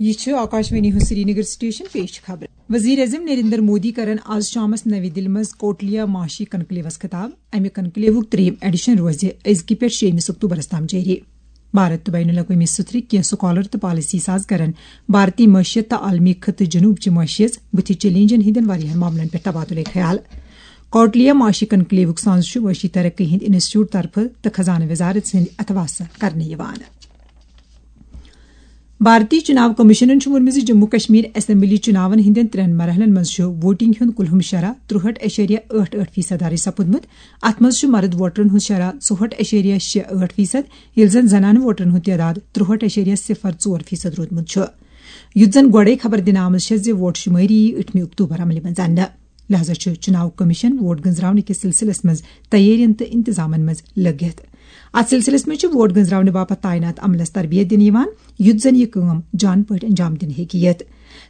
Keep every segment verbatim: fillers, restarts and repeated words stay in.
یہِ چھُ آکاشوانی ہُنٛد سرینگر سٹیشن، پیش چھِ خبرٕ۔ وزیر اعظم نریندر مودی کرن آز شامس نوی دِلہِ منٛز کوٹلیا معاشی کنکلیوس خطاب۔ امہِ کنکلیوُک ترٛیٚیِم ایڈیشن روزِ أزکہِ پٮ۪ٹھ شیٚیِمِس اکتوبرس تام جٲری۔ بھارت تہٕ بین الاقوٲمی سترٕکۍ کینٛہہ سکالر تہٕ پالیسی ساز کرن بھارتی معیشت تہٕ عالمی خطہٕ جنوب چہِ معیشت بُتھِ چیلنجن ہٕنٛدٮ۪ن واریاہن معاملن پٮ۪ٹھ تبادلے خیال۔ کوٹلیا معاشی کنکلیوُک سانز چھُ معاشی ترقی ہٕنٛدِ انسٹیٹیوٹ طرفہٕ تہٕ خزانہٕ وزارت سٕنٛدِ اتھواسہٕ کرنہٕ یِوان۔ بھارتی چُناو کمیشنن چھُ ووٚنمُت زِ جموں کشمیر اسمبلی چُناون ہٕنٛدٮ۪ن ترٛٮ۪ن مرحلن منٛز چھُ ووٹنگ ہُنٛد کُلہُم شرح ترُہٲٹھ اعشاریہ ٲٹھ ٲٹھ فیصد درٕج سپُدمُت۔ اتھ منٛز چھُ مرد ووٹرن ہُنٛد شرح ژُہٲٹھ اعشاریہ شےٚ ٲٹھ فیصد، ییٚلہِ زن زنانہٕ ووٹرن ہُنٛد تعداد ترُہٲٹھ اعشاریہ صفر ژور فیصد روٗدمُت چھُ۔ یُتھ زن گۄڈَے خبر دِنہٕ آمٕژ چھےٚ زِ ووٹ شُمٲری یی ٲٹھمہِ اکتوبر عملہِ منٛز اننہٕ۔ لہذا چھُ چُناو کمیشن ووٹ گنزراونہٕ کِس سلسلس منٛز تیٲرین تہٕ انتظامن منٛز لٔگِتھ۔ اتھ سلسلس منٛز چھُ ووٹ گنزراونہٕ باپتھ تعینات عملس تربیت دِنہٕ یِوان، یُتھ زن یہِ کٲم جان پٲٹھۍ انجام دِنہٕ ہیٚکہِ یِتھ۔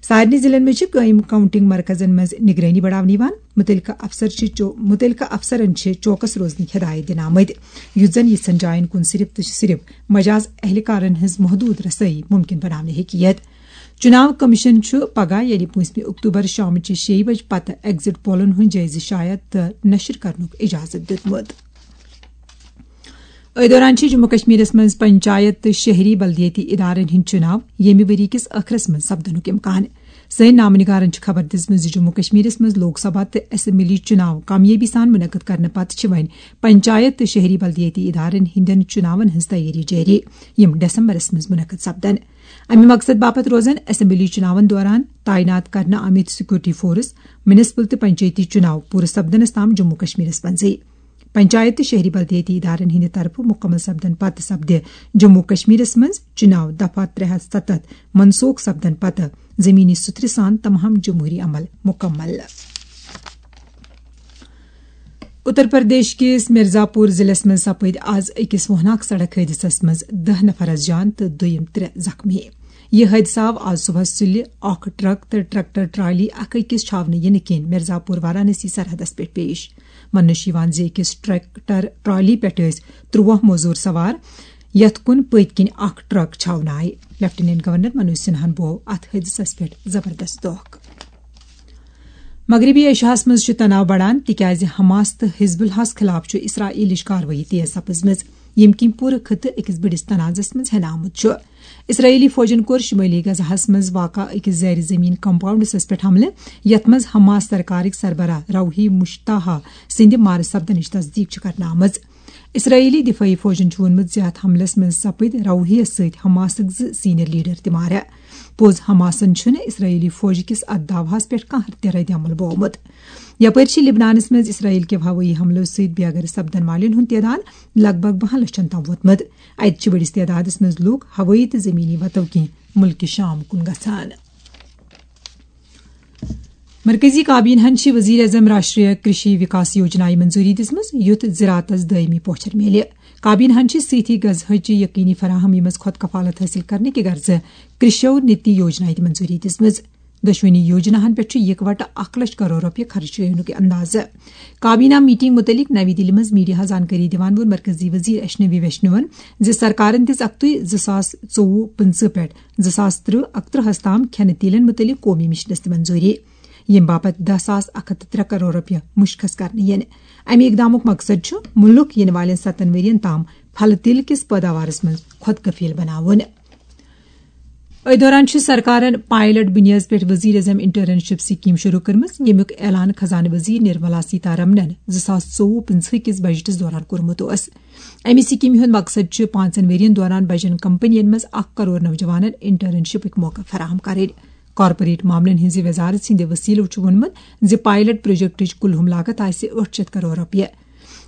سارنٕے ضلعن منٛز چھِ قٲیِم کاؤنٹنگ مرکزن منٛز نگرٲنی بڑاونہٕ یِوان۔ مُتعلقہٕ افسر چھِ چو-، مُتعلقہٕ افسرن چھِ چوکس روزنٕکۍ ہدایت دِنہٕ آمٕتۍ، یُتھ زن یِژھن جاین کُن صرف تہٕ صرف مجاز اہلکارن ہٕنٛز محدود رسٲیی ممکن بناونہٕ ہیٚکہِ یِتھ۔ چُناو کمیشن چھُ پگاہ، یعنی پوٗنٛژمہِ اکتوبر، شامچہِ شیٚیہِ بجہِ پتہٕ ایگزٹ پولن ہُنٛد جٲیزٕ شایع تہٕ نشر کرنُک اجازت دیُتمُت۔ أتھۍ دوران چھِ جموں کشمیرس منٛز پنچایت تہٕ شہری بلدیٲتی ادارن ہٕنٛدۍ چُناو ییٚمہِ ؤری کِس ٲخرس منٛز سپدنُک امکان۔ سٲنۍ نامہ نگارن چھِ خبر دِژمٕژ زِ جموں کشمیرس منٛز لوک سبھا تہٕ اسمبلی چُناو کامیٲبی سان منعقد کرنہٕ پتہٕ چھِ وۄنۍ پنچایت تہٕ شہری بلدیٲتی ادارن ہٕنٛدٮ۪ن چُناون ہٕنٛز تیٲری جٲری، یِم دسمبرس منٛز منعقد سپدن۔ امہِ مقصد باپتھ روزن اسمبلی چُناون دوران تعینات کرنہٕ آمٕتۍ سیکورٹی فورس، میونسپل تہٕ پنچایتی چُناو پوٗرٕ سپدنس تام جموں کشمیرس منٛزٕے۔ پنچایت تہٕ شہری بلدیٲتی ادارن ہٕنٛدِ طرفہٕ مُکمل سپدن پتہٕ سپدِ جموں کشمیرس منٛز چُناو دفعہ ترٛےٚ ہتھ ستتھ منسوخ سپدن پتہٕ زمینی سُترِ سان تمام جمہوری عمل مُکمل۔ اتر پردیش کِس مرزا پور ضلعس منٛز سپٕدۍ آز أکِس ووناک سڑک حٲدثس منٛز دَہ نفر از جان تہٕ دوٚیِم ترٛےٚ زخمی۔ یہِ حٲدثہٕ آو آز صبحس سُلہِ اکھ ٹرک تہٕ ٹریکٹر ٹرالی اکھ أکِس چھاونہٕ یِنہٕ کِنۍ مرزا پور وارانسی سرحدس پٮ۪ٹھ پیش۔ وننہٕ چھُ یِوان زِ أکِس ٹریکٹر ٹرالی پٮ۪ٹھ ٲسۍ ترٛوہ موزوٗر سوار، یتھ کُن پٔتۍ کِنۍ اکھ ٹرک چھاونہٕ آیہِ۔ لیفٹیننٹ گورنر منوج سنہاہن بوو اتھ حٲدثس پٮ۪ٹھ زبردست دۄکھ۔ مغربی ایشیاہس منٛز چھُ تناو بڑان، تِکیازِ حماس تہٕ حزب اللہس خلاف چھُ اسرائیلٕچ کاروٲیی تیز سپٕزمٕژ، ییٚمہِ کِنۍ پوٗرٕ خطہٕ أکِس بٔڑِس تنازعس منٛز ہٮ۪نہٕ آمُت چھُ۔ اسرائیلی فوجن کوٚر شمٲلی غزہس منٛز واقع أکِس زیر زمین کمپاؤنڈس پٮ۪ٹھ حملہٕ، یتھ منٛز حماس سرکارٕکۍ سربراہ روحی مشتاحہ سٕنٛدِ مارٕ سپدنٕچ تصدیق چھِ کرنہٕ آمٕژ۔ اسرائیلی دفٲعی فوجن چھُ ووٚنمُت زِ اتھ حملس منٛز سپٕدۍ روحیس سۭتۍ حماسٕکۍ زٕ سینئر لیڈر تہِ مارٕ۔ پوٚز، حماسن چھُنہٕ اسرائیلی فوج کِس اتھ دعوہس پٮ۪ٹھ کانٛہہ تہِ رد عمل بوومُت۔ یپٲرۍ چھِ لبنانس منٛز اسرائیل کہِ ہوٲیی حملو سۭتۍ بے گھر سپدن والٮ۪ن ہُنٛد تعداد لگ بھگ بَہَن لَچھَن تام ووتمُت۔ اتہِ چھِ بٔڑِس تعدادس منٛز لوٗکھ ہوٲیی تہٕ زمینی وتو کِنۍ مُلکہِ شام کُن گژھان۔ مرکزی کابینہ ہن چھِ وزیر اعظم راشٹریہ کرشی وکاس یوجنایہِ منظوری دِژمٕژ، یُتھ زراعتس دٲیمی پوچھر میلہِ۔ کابینہ ہن چھِ سۭتی غذاہٕچ یقینی فراہمی منٛز خود کفالت حٲصِل کرنہٕ کہِ غرضہٕ کرشو نیتی یوجنایہِ تہِ منظوری دِژمٕژ۔ دۄشوٕنی یوجناہن پٮ۪ٹھ چھُ یکوٹہٕ اکھ لچھ کرور رۄپیہِ خرچ کرنُک اندازٕ۔ کابینہ میٹنگ متعلق نوی دِلہِ منٛز میڈیاہس زانکٲری دِوان ووٚن مرکزی وزیر اشنوی ویشنون زِ سرکارن دِژ اکتُے زٕ ساس ژوٚوُہ پٕنٛژٕہ پٮ۪ٹھ زٕ ساس ترٕٛہ اکترٕہس تام کھٮ۪نہٕ تیٖلن متعلق قومی مشنس تہِ منظوری، ییٚمہِ باپتھ دَہ ساس اکھ ہتھ تہٕ ترٛےٚ کرور رۄپیہِ مُشخص کرنہٕ یِنہٕ۔ امہِ اقدامُک مقصد چھُ مُلک یِنہٕ والٮ۪ن ستن ؤرین تام پھلہٕ تیٖل کِس پٲداوارس منٛز خۄد کفیل بناوُن۔ أتھۍ دوران چھِ سرکارن پائلٹ بنیادس پٮ۪ٹھ وزیر اعظم انٹرنشپ سکیم شروع کٔرمٕژ، ییٚمیُک اعلان خزانہٕ وزیر نرملا سیتارمنن زٕ ساس ژوٚوُہ پٕنٛژٕہ کِس بجٹس دوران کوٚرمُت اوس۔ امہِ سکیمہِ ہُنٛد مقصد چھُ پانٛژن ؤرین دوران بجن کمپنین منٛز اکھ کرور نوجوانن انٹرنشپٕکۍ موقعہٕ فراہم کرٕنۍ۔ کارپوریٹ معاملن ہٕنٛزِ وزارت سٕنٛدِ وسیلہٕ چھُ ووٚنمُت زِ پائلٹ پروجیکٹٕچ کُلہُم لاگت آسہِ ٲٹھ شیٚتھ کرور رۄپیہِ۔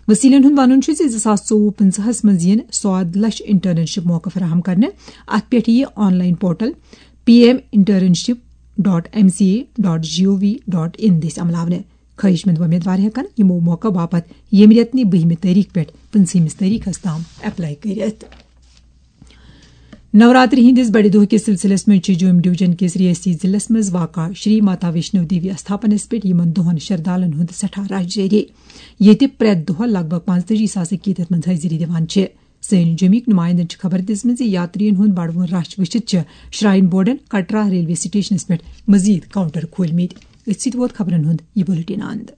وسیلن ہُنٛد وَنُن چھُ زِ زٕ ساس ژوٚوُہ پٕنٛژٕہس منٛز یِن سواد لچھ انٹرنشپ موقعہٕ فراہم کرنہٕ۔ اتھ پٮ۪ٹھ یِیہِ online portal P M internship dot M C A dot G O V dot in دٔسۍ عملاونہٕ۔ خٲہِش مند وۄمیدوار ہٮ۪کن یِمو موقعہٕ باپتھ ییٚمہِ رٮ۪تہٕ نہِ بٔہمہِ تٲریخ پٮ۪ٹھ پٕنٛژٕہمِس تٲریخس تام اپلائی کٔرِتھ۔ نوراتری ہٕنٛدِس بڑِ دۄہ کِس سلسلس منٛز چھِ جوم ڈویژن کِس ریاستی ضلعس منٛز واقع شری ماتا ویشنو دیوی استھاپنس پٮ۪ٹھ یِمن دۄہن شردالن ہُنٛد سٮ۪ٹھاہ رش جٲری، ییٚتہِ پرٛٮ۪تھ دۄہ لگ بھگ پانٛژتٲجی ساس عقیدت منٛز حٲضری دِوان چھِ۔ سٲنۍ جوٚمِکۍ نُمایندن چھِ خبر دِژمٕژ زِ یاترین ہُنٛد بڑوُن رش وٕچھِتھ چھِ شراین بورڈن کٹرا ریلوے سٹیشنس پٮ۪ٹھ مزید کاؤنٹر کھولمٕتۍ۔ أتھۍ سۭتۍ ووت خبرن ہُنٛد یہِ بُلٹن اند۔